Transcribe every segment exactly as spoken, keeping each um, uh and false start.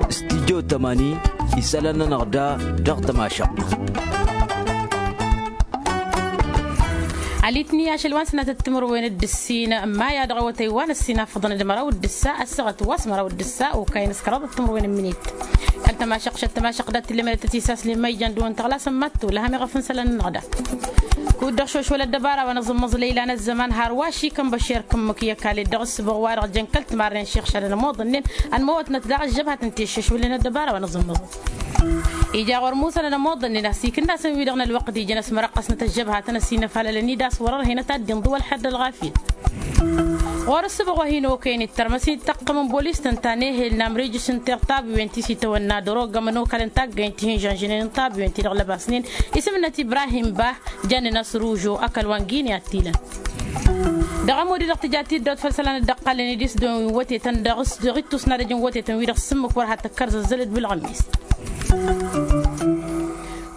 Studyo tămani isălan-nănăɣ da dăɣ-tămašăɣt. Alitni ašăl wa n-sănatăt timǝrwen d-ǝssin n-maya dăɣ-awătăy wa n-ǝssin afăḍăn d-măraw d-ǝssa ăssaɣăt wa s-măraw d-ǝssa okayăn s-kăraḍăt timǝrwen n-minit. Kăl-tămašăɣt šăt tămašăɣt dat-tǝllemănăt tăt-isaslen ma ijan dăɣ-wăn tăɣlasăn mattu lăhăm iɣăf n-isălan-nănăɣ da. Kud-dăɣ šošwăl ăddăbara wa n-aẓǝmmăẓ lăyla n-ăzzăman har wa šikăn băšer kǝmmǝk i-ăkall ed dăɣ-ǝssǝbăɣ wa-dăɣ jăn kăl-timarren šixšadăn ămoḍănnen ănmăwătnăt daɣ ăžžăbhat ǝnta i-iššăšwǝlnen ăddăbara wa n-aẓǝmmăẓ. Ija ɣur-musănăn ămoḍănnen a-s ikǝnnasăn-wi-dăɣ n-ălwăqq d-ijăn ăsmărăqqăsnăt ăžžăbhatăn ăsinăfalălăn-dd a-s wăr-ărhen ad-t-dd-inḍǝw ălḥer d-ălɣafyăt. Ɣur-ǝssǝbăɣ wa hin-okăyăn ittărmăs-in taqqăm n-bolis-tăn ta n-ehel n-amrijǝs n-tiɣ tabiwen ti s-itawănna dăr-oggăm ănokal n-taggayt ti hin-žănžănen n-tabiwen ti dăɣ-lăbasnen isǝm-năt ibrahim bah. Jannen a-s ružo ăkall wa n-gine ad-t-ilăn. Dăɣ-ămud-i-dăɣ tǝja tiddawt făll-isălan dd-ăqqalnen idis dăɣ-win wătetăn dăɣ-ittus n-adăj n-wătetăn-wi-dăɣ s-ǝmmǝk wăr ha tăkkăr zăzzălăd bilɣămmis.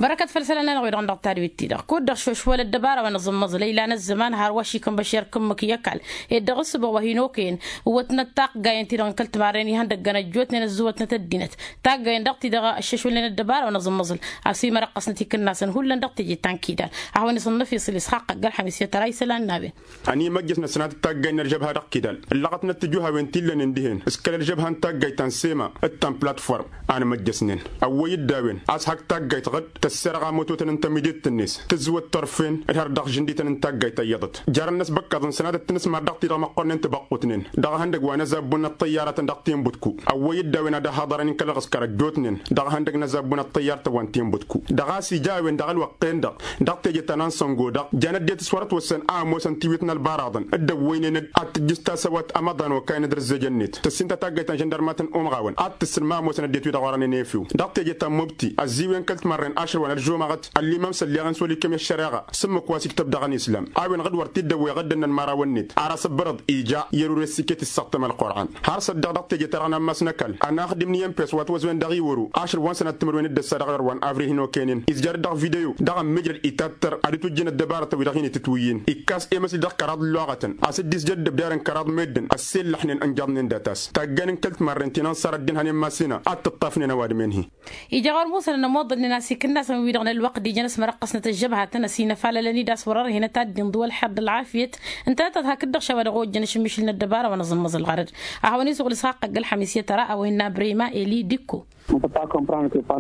Bărăkăt făll-isălan-nănăɣ-wi-dăɣ n-dăɣ tadwit-ti-dăɣ kud-dăɣ šošwăl ăddăbara wa n-aẓǝmmăẓ lăyla n-ăzzăman har wa šikăn băšer kǝmmǝk i-ăkall ed dăɣ-ǝssǝbăɣ wa hin-okăyăn. Ǝwwătnăt taggayăn-ti-dăɣ n-kăl-timarren ihăndăggăn ăjjootnen ăzzǝwătnăt ăddinăt taggayăn dăɣ-ti-dăɣ ăššăšwălnen ăddăbara wa n-aẓǝmmăẓ. A-s imărăqqăsnăt ikǝnnasăn hullan dăɣ-teje ta n-kidal. A hawăn-isǝnnăf isǝl isxaqq ăgg-ălxămis i-tăra isălan n-a-wen. Ănimăjjăsnăt sănatăt taggayt n-ălžăbha dăɣ-kidal ǝllăɣătnăt tijuhawen ti ǝllănen dihen s-kăl-ălžăbha n-taggayt ta n-sema d-ta n-platform. Anmăjjăsnen ăwwăy-dd a-wen a-s hak taggayt ɣǝd tăsserɣa mototăn n-tămidet-net tǝzzǝwăt turfen d-har dăɣ-žǝndităn n-taggayt ta iyyăḍăt. Jarăn-năs băkkaḍăn sănatăt tinǝsmar dăɣ-ti-dăɣ măqqornen tibăqqutnen dăɣ-ehăndăgg wa n-azabbun n-ăṭṭăyyarătăn dăɣ-tinbutku. Ăwwăy-dd a-wen ad-ăhaḍărăn inkăl ălɣǝskăr ăjjootnen dăɣ-ehăndăgg n-azabbun n-ăṭṭăyyarătăn wa n-tinbutku. Dăɣ-a-s ija a-wen dăɣ-ălwăqq-en-dăɣ dăɣ-teje ta n-ansăngo-dăɣ jan ăddinăt s-wăr-ătwăssăn a ămoosăn tiwit n-ălbaraḍăn dd-ăwwăynen-dd ad-tǝjjǝs tasăwat amăḍan okayăn d-răzzejăn-net tăssin ta taggayt ta n-žăndărmat n-umɣawăn ad-tǝssǝn ma ămoosăn ăddinăt wi-dăɣ orănen efew. Dăɣ-teje ta n-mubti ăzziwen kăl-timarren ašăl wa n-ălžumăɣăt ăllimam s-ălleɣ-in s-wăl-ikkăm i-ăššăreɣa s-ǝmmǝk wa s-iktăb dăɣ-ănislam a-wen ɣǝd wăr t-dd-ăwwăy iɣǝddăn n-ănmărawăn-net ar asǝbbărăḍ ija i-ărure s-iket issăɣtăm ălqur'an. Har săddăɣ dăɣ-teje-ta-dăɣ n-ammas n-ăkall ănaxdǝm n-i n-pes wa t-wăzwen dăɣ-iwăro ašăl wa n-sănat timǝrwen d-ăssa dăɣ-ewăr wa n-avril hin-okăynen izjăr-dd dăɣ-video dăɣ-ămmijrăd itattăr ad-dd-tujjǝn ăddăbarătăn-wi-dăɣ hin-itǝtwǝyyǝn ikkas emăsli dăɣ-kăraḍ n-luɣătăn a-s dd-izjăr dd-ăbdarăn kăraḍ meddǝn ăssellăḥnen ănjăḍnen data-s. Taggan n-kăl-timarren ti n-ănṣar ăddin hănen masina ad-t-ǝṭṭafnen ăwadǝm-en-hi. Ija ɣur-musănăn ămoḍălnen a-s ikǝnnasăn-wi-dăɣ n-ălwăqq d-ijăn ăsmărăqqăsnăt ăžžăbhatăn ăsinăfalălăn-dd a-s wăr-ărhen ad-t-dd-inḍǝw ălḥer d-ălɣafyăt. Ǝntănăt ad-hakd-dăɣ šawa dăɣ-ojjăn ašǝmmišǝl n-ăddăbara wa n-aẓǝmmăẓ ălɣărăd. A hawăn-isuɣǝl isxaqq ăgg-ălxămis i-tăra a-wa innă brima eli dikko.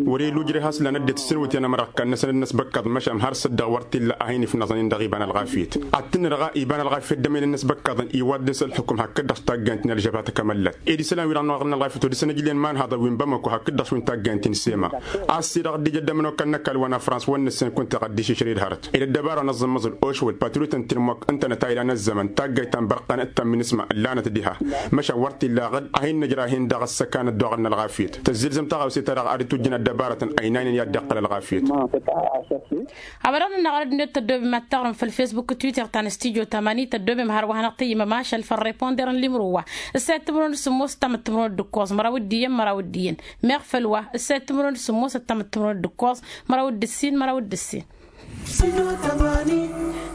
Wăr-ila ujreh a-s lan ăddinăt s-sǝnwǝtyan amăra ǝkkan-năsăn d-inăsbăkkaḍ măšan har s-dd-dăɣ wăr t-illa a hin-ifnăẓăn-in dăɣ-iba n-ălɣafyăt. Ad-tǝnnǝdăɣ a iba n-ălɣafyăt d-emel-net băkkaḍăn iwaddǝs ălxukǝm hakd-dăɣ s-taggaynt n-ălžăbha tăkămăllat ed isălan-wi-dăɣ n-oɣrăn ălɣafyăt odăsăn ǝjlen imanhaḍăn wi n-bamăko hakd-dăɣ s-wi n-taggaynt n-sema. A-s i-dăɣ dd-ija ăddămăn okal n-ăkall wa n-afrans wăr nǝssen kunta iɣăddiš išrǝy d-hărăt ed ăddăbara wa n-aẓǝmmăẓǝl ošwăl patrutăn ti n-mok ǝntănăt a ilan ăzzăman taggayt ta n-bărqan d-ta n-minǝsma ǝllanăt diha. Măšan wăr t-illa aɣǝd a hin-nǝjrah-in dăɣ-ăssăkan ăddoɣăn n-ălɣafyăt tăzzǝlzăm taɣawse-ta-dăɣ ad-dd-tujjǝn ăddăbarătăn ăynaynen i-ad-dd-iqqăl ălɣafyăt. Hawădăɣ-nănăɣ arăd-net tăddobem ad-taɣrǝm făll-fesbuk d-twitter ta n-studyo tamani tăddobem hărwa hanăɣ-tăyyǝmăm ašăl făll-riponder n-limro wa. Ǝssayăt timǝrwen d-sǝmmos ǝttam d-timǝrwen d-ǝkkoẓ măraw d-iyyăn măraw d-iyyăn. Meɣ făll-wa ǝssayăt timǝrwen d-sǝmmos ǝttam d-timǝrwen d-ǝkkoẓ măraw d-ǝssin măraw d-ǝssin.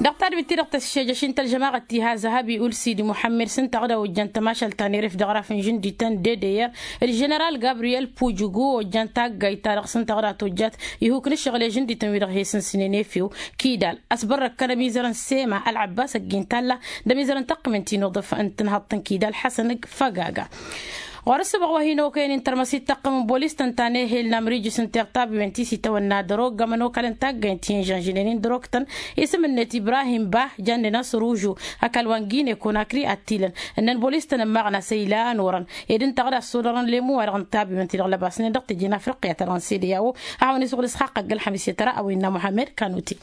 Dăɣ-tadwit-ti-dăɣ tăššejăš-in tălžămaɣăt tiha zăhabi ulsidi muḥămmed s-ǝnta ɣǝd a ojjan tămašalt ta n-eref dăɣ-raf n-žǝndităn d-edăyăr d-ženeral gabriyel pujugu ojjan taggayt-ta-dăɣ s-ǝnta ɣǝd a tojjat. Ihuk n-ǝššăɣǝl i-žǝndităn-wi-dăɣ he-sǝnsǝnen efew kidal ăsbărrăkkăn ămizăr n-sema ălɣăbbas ăgg-intalla d-ămizăr n-tăqqǝment-in uḍǝf n-tǝnhăḍt n-kidal ḥăsăn g-făgaga. Ɣur-ǝssǝbăɣ wa hin-okăyăn intărmăs ittăqqǝm n-bolis-tăn ta n-ehel n-amrijǝs n-tiɣtabiwen ti s-itawănna dăr-oggăm ănokal n-taggaynt ti hin-žănžǝnen-in dăr-oktăn isǝm-net ibrahim bah jannen a-s ružu ăkall wa n-gine konakri ad-t-ilăn. Ǝnnăn bolis-tăn ămmaɣăn a-s ăylan orăn ed ǝnta ɣǝd a ăssodărăn lemu-wa-dăɣ n-tabiwen ti dăɣ-lăbasnen dăɣ-teje n-afriqya ta dăɣ-n sede i-a-wo. A hawăn-isuɣǝl isxaqq ăgg-ălxămis i-tăra a-wa innă muḥămmed kanuti.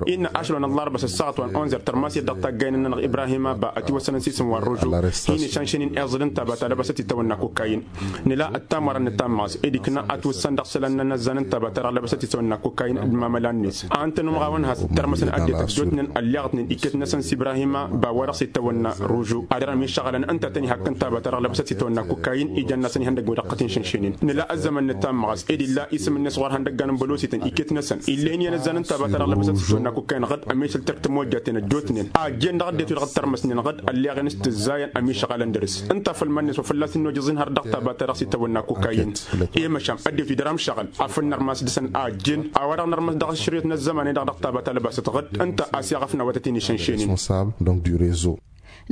Innă ašăl wa n-ăllarba s-ăssaɣăt wa n-onzer tărmas i-dd-dăɣ taggayen-nănăɣ ibrahim abba ătiwăssănăn s-isǝm wa n-ružu. Hin-išănšăn-in iẓǝd ǝnta bata lăbăsăt itawănna kukkayin. Nǝla ăttamărăn nǝtammăɣ s-ed ikna ătwǝssan dăɣ-isălan n-anăzzan ǝnta bata dăɣ-lăbăsăt itawănna kukkayin d-mamăla-net. A ǝnta n-umɣawăn has-tărmăsăn ăddinăt ăjjootnen ălleɣătnen iket-năsăn s-ibrahim abba wa dăɣ-s itawănna ružu ad-dăr-ămišăɣălăn ǝnta a tăn-ihakk ǝnta bata dăɣ-lăbăsăt itawănna kukkayin. Ijăn-năsăn ihăndăgg wi dăɣ-tăt-inšǝnšǝnen nǝla ăzzăman nǝtammăɣ s-ed illa isǝm-net ɣur-ihăndăggan n-bălosităn iket-năsăn illa inǝyyăn ăzzan ǝnta bata dăɣ-lăbăsăt itawănna kukkayin ɣǝd ămišăl tirk timojjaten ăjjootnen a ăjjeen dăɣ-ăddinăt wi dăɣ-tărmăsnen ɣǝd ălleɣen s-tǝzzayăn ămišăɣalăn dăr-s ǝnta. Făll-iman-net wa fălla-s innojăẓ-in har dăɣ-taba-ta-dăɣ s-itawănna kokayin. I-măšan ăddinăt-wi dăr-amšăɣǝl afăl nărmas dăɣ-săn a ăjjeen a-wa-dăɣ nărmas dăɣ-ašrăyăt n-ăzzăman-i-dăɣ dăɣ-taba ta lăbasăt ɣǝd ǝnta a-s i-aɣăfna wa tăt-in-išănšenin.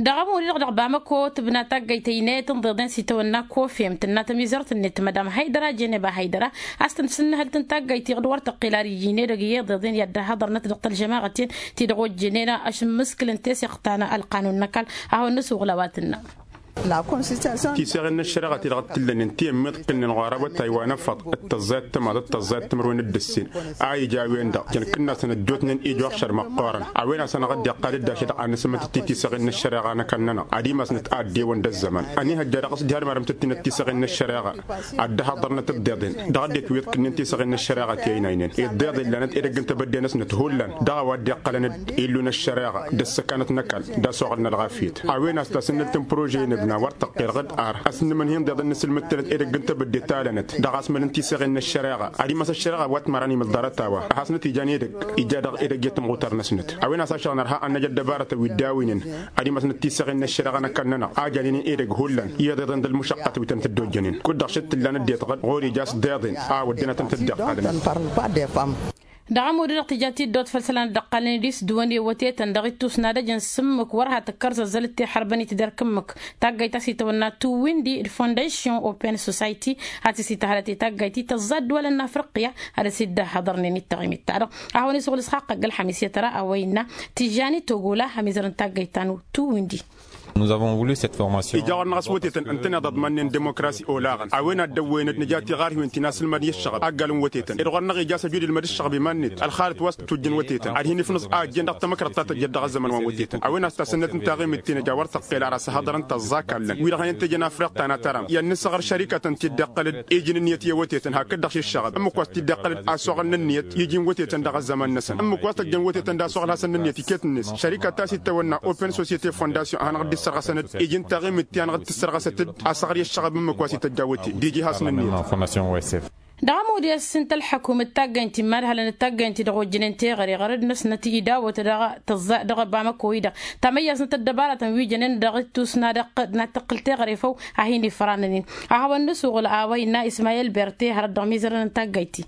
Dăɣ-ămuri-dăɣ dăɣ-bamăko tǝbna taggayt ăynayăt ǝnḍeḍen s-itawănna kofem tǝnna tămizărt-net madam haydăra jeneba haydăra a-s tăn-sǝnnăhăl-tăn taggayt-i ɣǝd wăr tăqqel ar iji n-edăgg i-iḍeḍen i-ad-dd-ăhhăḍărnăt dăɣ-tălžămaɣăt-en ti-dăɣ ojjănen ašǝmmǝskǝl n-teseɣt ta n-ălqanun n-ăkall. A hawăn-nǝsuɣǝl a-wa tǝnnă. Tiseɣen n-ăššăreɣa ti-dăɣ t-ǝllănen ti ămmiḍkǝlnen ɣur-awătay wa n-ăfăḍ d-tăẓẓayăt tămaḍ d-tăẓẓayăt timǝrwen d-ǝssin a ija a-wen-dăɣ jăn kǝnnasăn ăjjootnen ijwaɣšăr măqqoorăn. A-wen a-s hanăɣ-dd-iqqal dd-ašăl ad-nǝsǝmmǝtăt i-tiseɣen n-ăššăreɣa n-ăkall-nănăɣ ad-imasnăt a ăddewăn d-ăzzăman. Ănihăjja dăɣ-s diha d-marăm tăt-tinăt tiseɣen n-ăššăreɣa ad-dd-ăhhăḍărnăt ǝḍḍeḍen dăɣ-ăddinăt wi ǝḍkǝnnen tiseɣen n-ăššăreɣa ti ăynaynen iḍḍeḍen lanăt edăgg n-tebădde-năsnăt hullan dăɣ-a-wa dd-iqqălăn d-illu n-ăššăreɣa d-ăssăkanăt n-ăkall d-asuɣǝl n-ălɣafyăt. A-wen a-s tasǝnnǝlt n-prože-i-năbna wăr tăqqel ɣǝd ar ăsnǝmǝnhǝy ǝnḍeḍ n-inǝsǝlmǝd-tănăt edăgg n-tebădde ta lănăt dăɣ-asmăl n-tiseɣen n-ăššăreɣa ad-imas ăššăreɣa wa t-măran imǝl ḍarăt a-wa a hasnăt-ijan edăgg ija dăɣ-edăgg i-tămɣutar-năsnăt. A-wen a-s ašăɣ nărha ad-năj ăddăbarătăn wi dd-awǝynen ad-imasnăt tiseɣen n-ăššăreɣa n-ăkall-nănăɣ a janen edăgg hullan i-iḍeḍen d-ălmušăqqăt wi tăn-tăt-dd-ojjănen kud-dăɣ šăt t-ǝllan ăddinăt ɣǝd ɣur-ija a-s dd-iḍen a wădden ad-tăn-tăt-dd-iqqalăn. Dăɣ-ămudd-dăɣ tǝja tiddawt făll-isălan dd-ăqqalăn idis d-wăn i-wătetăn dăɣ-ittus n-ad-ăj n-sǝmmǝk wăr ha tǝkkăr zăzzălăt teḥărbăn-i tidărk ǝmmǝk. Taggayt ta s-itawănna tuwindi d-fondasyon open society a-s isitahălăt i-taggayt-i tăẓẓa ăddǝwalăn n-afriqya ad-dăr-s dd-ăhhăḍărnen i-taɣimit-ta-dăɣ. A hawăn-isuɣǝl s-xaqqăgg ălxămis i-tăra a-wa innă tijjani togola ămizăr n-taggayt ta n-tuwindi. Ija ɣur-năɣ a-s wătetăn ǝntăneḍ aḍman-nen demokrasi olaɣăn a-wen ad-dăwwăyăn d-nǝja tiɣarhiwen ti n-asǝlmad i-ăššăɣăb aggal n-wătetăn ed ɣur-năɣ ija a-s ăjud ilmăd ǝššăɣăb iman-net ălxalăt wa s-tǝtwǝjjăn wătetăn ad-hin-ifnǝẓ a ăjjeen dăɣ-tamăkrăḍt ta tăjjăt dăɣ-ăzzăman wa n-wătetăn. A-wen a-s tasǝnnăt n-taɣimit ti n-ija wăr tăqqel ar asăhăḍărăn tăẓẓa-kallăn wi-dăɣ hanăt tejăn afriɣ ta n-atăram i-ad-nǝsăɣăr šărikătăn ti dd-iqqăl-dd iji n-ǝnniyăt i-wătetăn hakd-dăɣ šiššăɣăb ǝmmǝk wa s-t-dd-iqqăl-dd asuɣǝl n-ǝnniyăt iji n-wătetăn dăɣ-ăzzăman-năsăn ǝmmǝk wa s-tăjjăn wătetăn d-asuɣǝl hasăn n-ǝnniyăt iket-net šărikăt ta s-ittawănna open societe fondasyon a hanăɣ-dd-issărɣăsăn-dd iji n-taɣimit ti hanăɣ-dd-tǝssărɣăsăt-dd asăɣr i-ăššăɣăb ǝmmǝk wa s-ităjja wăte d-iji hasăn-ǝnniyăt. Dăɣ-ămudd i-ăssintăl ălḥăkum d-taggăynt imadhalăn d-taggăynt-i-dăɣ ojjănen teɣăre ɣărăd-năsnăt idawăt dăɣ-tăẓẓa dăɣ-bamăko-i-dăɣ tamăyyaẓnăt ăddăbaratăn wi jănen dăɣ-ittus n-ad-ăqqăl n-ad-tăqqǝl teɣăre făw a hin-ifranăn-in. A hawăn-nǝsuɣǝl a-wa innă ismayel berte hărăt dăɣ-mizărăn n-taggăyt-i.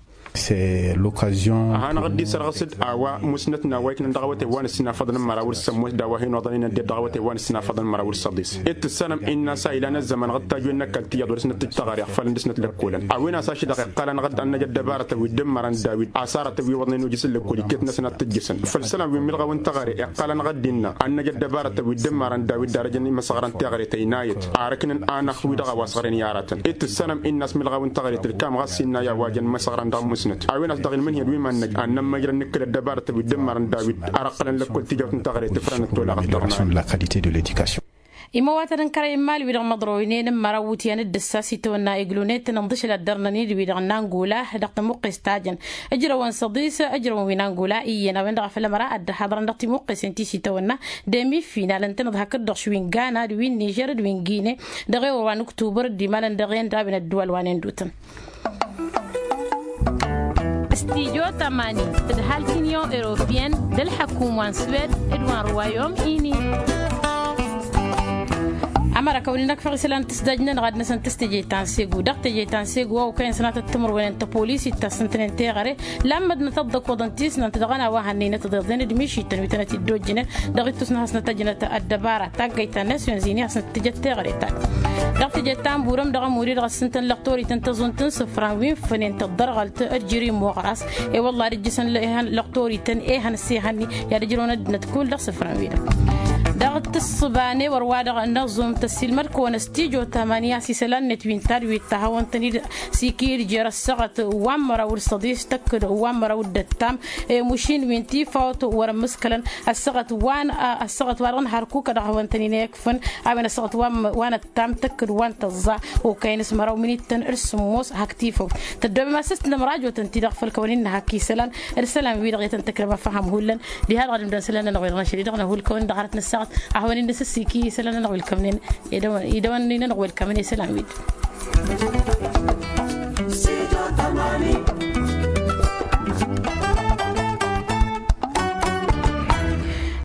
Hanăɣ-dd-isărɣǝs-dd a-wa musnăt n-a-wa iknăn dăɣ-awătay wa n-ǝssinafăḍăn n-măraw d-sămmos d-a-wa hin-oḍăn inădded dăɣ-awătay wa n-ǝssinafăḍăn n-măraw d-săḍis. Dd-tǝssanăm innă a-s a ilan ăzzăman ɣǝd tajwen n-ăkall tiyyăḍ wăr dăr-s năttǝj taɣăre ixfalăn dăr-snăt lăkkolăn a-wen a-s ašăl-dăɣ iqqalăn ɣǝd ad-năj ăddăbarătăn wi dd-ǝmmărăn dawid asarătăn wi iwăḍnen ojǝs n-lăkkol iket-năsăn ad-t-ǝjjǝsăn făll-isălan wi n-milɣaw n-taɣăre iqqalăn ɣǝd innă ad-năj ăddăbarătăn wi dd-ǝmmărăn dawid d-arăjăn imăsăɣra n-teɣăre tăynayăt arăknăn anăɣ-wi-dăɣ a-wa s-ɣren i-aratăn dd-tǝssanăm innă a-s milɣaw n-taɣăre tǝlkam ɣas innă i-a-wa jăn imăsăɣran dăɣ-musnăt. A-wen a-s dăɣ-ilmǝnhǝyăn wi mannăj ad-nămmăjrăn nǝkkǝl ăddăbarătăn wi dd-ǝmmărăn dawid arăqqălăn lăkkol tijawt n-taɣăre tǝfrănăt tolaɣăt dăɣ-nayăt. Imăwatăn n-kărăy n-imal-wi-dăɣ măḍroynen n-măraw wutyan d-ǝssa s-itawănna iglunetăn ǝnḍǝšǝl ad-dărnăn-dd wi-dăɣ n-angola dăɣ-tămuqqes ta jăn ǝjrăwăn săḍis ǝjrăwăn wi n-angola iyyăn a-wen-dăɣ a făl ămăra ad-dd-ăhaḍărăn dăɣ-timuqqesen ti s-itawănna d-emi final ǝntăneḍ hakd-dăɣ š-wi n-gana d-wi n-nižer d-wi n-gine. Dăɣ-ewăr wa n-uktubăr dd-imalăn dăɣ-en d-a-wen ădduwal wa n-endutăn. Studyo tămani tǝdhal t-inyon europiyăn d-ălḥăkum wa n-swed d-wa n-ruwayom ini. Ămăra kăwăn-in-ăkfăɣ isălan tǝsdaj-nănăɣ ad-năsăn tǝstejăy ta n-segu dăɣ-tejăy ta n-segu a okăyăn sănatăt timǝrwen n-tăpolis ittas ǝntănen teɣăre lammădnăt ăḍḍăkoḍăn tisnant dăɣ-ănn a-wa hannăynăt tiḍeḍen d-mišităn wi tănăt-dd-ojjănen dăɣ-ittus n-ad-hasnăt ăjnăt ăddăbara taggăyt ta n-nasyonzini ad-hasnăt-tǝjăt teɣăre ta-dăɣ. Dăɣ-tejăy ta n-burăm dăɣ-ămuri dăɣ-ăssintăn lăqtorităn tăẓunt n-isǝfran wi n-fănen tăḍărɣălt d-jiri n-muɣras. I-wălla ad-ǝjjǝsăn lăhăn lăqtorităn ehăn s-ehăn-ni i-ad-ǝjrăwăn ăddinăt kull dăɣ-isǝfran-wi-dăɣ. Dăɣ-tǝssǝba n-ewăr wa-dăɣ n-aẓum tăssilmăd-kăwăn s-tijo tamanya s-isălan-net wi n-tadwit ta hawăn-tăn-dd s-ikid jer-ăssaɣăt wa n-măraw d-săḍis tăkk-dd wa n-măraw d-ăttam. Emušin wi n-tifawt wăr-ămmǝskălăn ăssaɣăt wa n-ăssaɣăt wa dăɣ-nǝharkuk a dăɣ-hawăn-tăn-in-ekfăn. A-wen ăssaɣăt wa n-măraw wa n-ăttam tăkk-dd wa n-tăẓẓa okăyăn s-măraw minittăn d-sǝmmos hak tifawt. Tăddoobem a-s s-tǝnnăm rajotăn-ti-dăɣ făll-kăwăn-in-nǝhak isălan d-isălan-wi-dăɣ i-tăn-tăkrăm afăhăm hullan. Diha-dăɣ ad-ǝmdăn isălan-nănăɣ wi-dăɣ n-ašăl-i-dăɣ năhulkăwăn dăɣ-arăt n-ăssaɣăt a hawăn-in-nǝsǝssiki isălan-nănăɣ wi ǝlkămnen. Idăwăn-i nănăɣ wi ǝlkămnen isălan-wi-dăɣ.